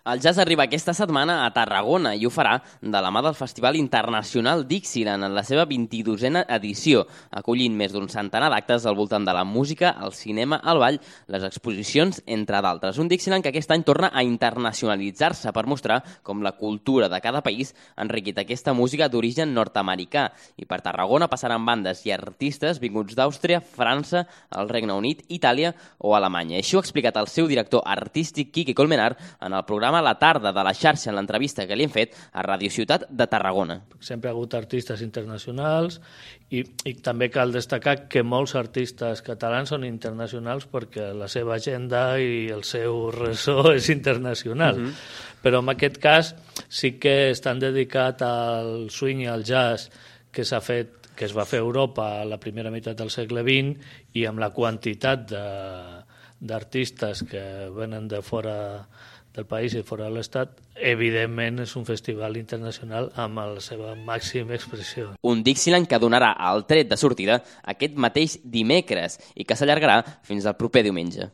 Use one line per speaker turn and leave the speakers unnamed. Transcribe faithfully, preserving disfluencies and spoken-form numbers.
El jazz arriba aquesta setmana a Tarragona i ho farà de la mà del Festival Internacional Dixieland en la seva vint-i-dosena edició, acollint més d'un centenar d'actes al voltant de la música, el cinema, el ball, les exposicions, entre d'altres. Un Dixieland que aquest any torna a internacionalitzar-se per mostrar com la cultura de cada país ha enriquit aquesta música d'origen nord-americà. I per Tarragona passaran bandes i artistes vinguts d'Àustria, França, el Regne Unit, Itàlia o Alemanya. Així ho ha explicat el seu director artístic, Quique Colmenar, en el programa a la tarda de la xarxa en l'entrevista que li hem fet a Ràdio Ciutat de Tarragona.
Sempre ha hagut artistes internacionals i, i també cal destacar que molts artistes catalans són internacionals perquè la seva agenda i el seu ressò és internacional. Uh-huh. Però en aquest cas sí que estan dedicats al swing i al jazz que s'ha fet, que es va fer a Europa a la primera meitat del segle vint i amb la quantitat de, d'artistes que venen de fora del país i fora de l'Estat, evidentment és un festival internacional amb la seva màxima expressió.
Un Dixieland que donarà el tret de sortida aquest mateix dimecres i que s'allargarà fins al proper diumenge.